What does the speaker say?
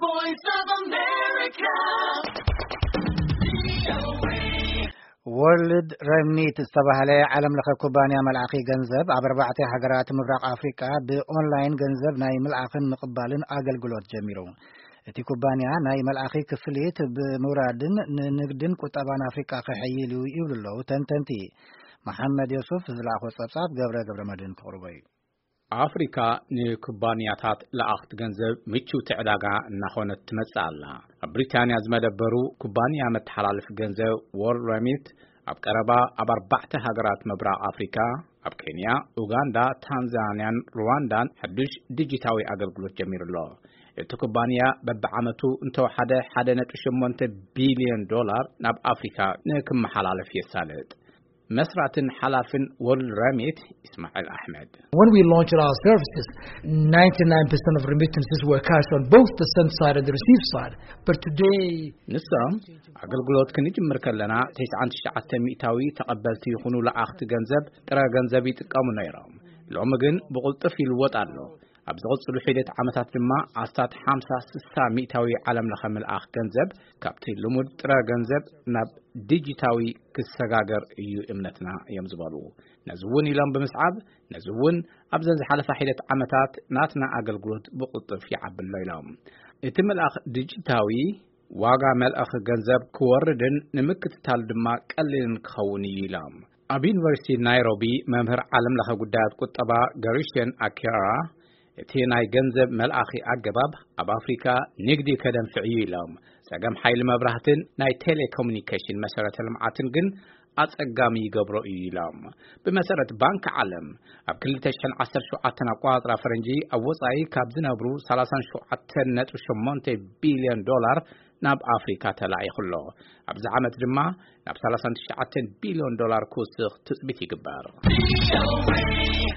Voice of America. World Remit ዝተባህለ ዓለም ለኸ ኩባንያ መልኣኺ ገንዘብ ኣብ ኣርባዕተ ሃገራት ምብራቕ ኣፍሪቃ ብኦንላይን ገንዘብ ናይ ምልኣኽን ምቕባልን ኣገልግሎት ጀሚሩ። እቲ ኩባንያ ናይ መልኣኺ ክፍሊት ብምውራድን ንንግድን ቁጠባን ኣፍሪቃ ከሐይል እዩ ይብሉ ኣለዉ ተንተንቲ። መሓመድ ዮሱፍ ዝለኣኾ ጸብጻብ ገብረ ገብረ መድህን ክቕርቦ እዩ። ኣፍሪካ ንኩባንያታት ለኣኽቲ ገንዘብ ምቹውቲ ዕዳጋ እናኾነት ትመጽእ ኣላ። ኣብ ብሪታንያ ዝመደበሩ ኩባንያ መተሓላለፊ ገንዘብ ዎርልድ ረሚት ኣብ ቀረባ ኣብ ኣርባዕተ ሃገራት ምብራቕ ኣፍሪካ፣ ኣብ ኬንያ፣ ኡጋንዳ፣ ታንዛንያን ሩዋንዳን ሓዱሽ ዲጂታዊ ኣገልግሎት ጀሚሩ ኣሎ። እቲ ኩባንያ በብዓመቱ እንተወሓደ ሓደ ነጥቢ ሸሞንተ ቢልዮን ዶላር ናብ ኣፍሪካ ንክመሓላለፍ የሳልጥ። መስራትን ሓላፍን ወርልድ ረሚት ኢስማዒል ኣሕመድ። When we launched our services, ninety-nine percent of remittances were cashed on both the send side and the receive side. But today, ንሶም ኣገልግሎት ክንጅምር ከለና ተስዓን ትሽዓተ ሚእታዊ ተቐበልቲ ይኹኑ ለኣኽቲ ገንዘብ ጥረ ገንዘብ ይጥቀሙ ነይሮም። ሎሚ ግን ብቕልጡፍ ይልወጥ ኣሎ። ኣብ ዝቕጽሉ ሒደት ዓመታት ድማ ኣስታት ሓምሳ ስሳ ሚእታዊ ዓለም ለኸ ምልኣኽ ገንዘብ ካብቲ ልሙድ ጥረ ገንዘብ ናብ ዲጂታዊ ክሰጋገር እዩ እምነትና እዮም ዝበሉ። ነዚ እውን ኢሎም ብምስዓብ፣ ነዚ እውን ኣብዘን ዝሓለፋ ሒደት ዓመታት ናትና ኣገልግሎት ብቕልጡፍ ይዓቢ ኣሎ ኢሎም። እቲ ምልኣኽ ዲጂታዊ ዋጋ መልኣኺ ገንዘብ ክወርድን ንምክትታል ድማ ቀሊልን ክኸውን እዩ ኢሎም። ኣብ ዩኒቨርሲቲ ናይሮቢ መምህር ዓለም ለኸ ጉዳያት ቁጠባ ገሪሽን ኣኪራ፣ እቲ ናይ ገንዘብ መልኣኺ ኣገባብ ኣብ ኣፍሪካ ንግዲ ከደንፍዕ እዩ ኢሎም። ጸገም ሓይሊ መብራህትን ናይ ቴሌኮሙኒኬሽን መሰረተ ልምዓትን ግን ኣጸጋሚ ይገብሮ እዩ ኢሎም። ብመሰረት ባንክ ዓለም፣ ኣብ ክልተ ሽሕን ዓሰርተ ሸውዓተን ኣቆጻጽራ ፈረንጂ ኣብ ወጻኢ ካብ ዝነብሩ ሰላሳን ሸውዓተን ነጥቢ ሸሞንተ ቢልዮን ዶላር ናብ ኣፍሪካ ተላኢኹ ኣሎ። ኣብዚ ዓመት ድማ ናብ ሰላሳን ትሽዓተን ቢልዮን ዶላር ክውስኽ ትጽቢት ይግበር።